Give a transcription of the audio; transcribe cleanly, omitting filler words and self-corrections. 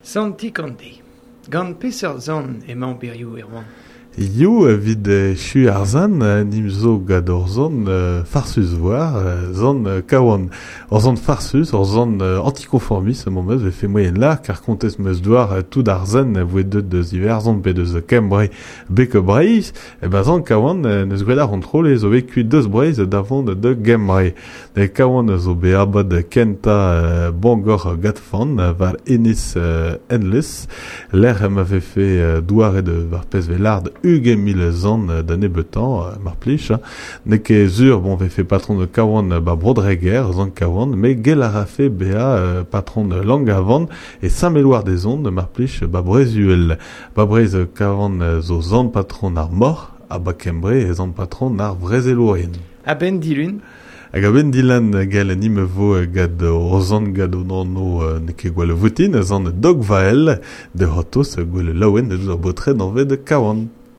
Sant Ikonde. Gant peseurt zant emañ berioù Erwan? Yo evit chu ar zan, nim zo gant ur zant farsus war, zant kawan. Ur zant farsus, ur zant anticonformiste, mon meus, vefe moyen lar, kar kontez meus doar tout ar zan voe deut deus Iwerzhon pe deus Kembre bek Breizh, e ben zant kawan neus gwell ar kontrol e zo bet kuit deus Breizh davant de Gembre. De kawan zo be abad kenta Bangor gatfan war Ennis Endless, l'air m'avait fait douare de war pez velard 20 000 zan da nebeutañ, mar plij, ne ket zur, bon, vefe patron de Kawan ba Brodreger, zan Kawan, me gel a rafe bea patron de Langavan e Saint-Méloir des Ondes, mar plij, ba Brezuel. Ba Brez Kawan zo zan patron ar mor, ha ba Kembre e zan patron ar vrezelourien. A ben dilun? Hag a ben dilan gel nim vo gad o zan gad o nanno ne ket gwell votin, zan dog vael de hotos gwell laouen de ar botred anvet Kawan.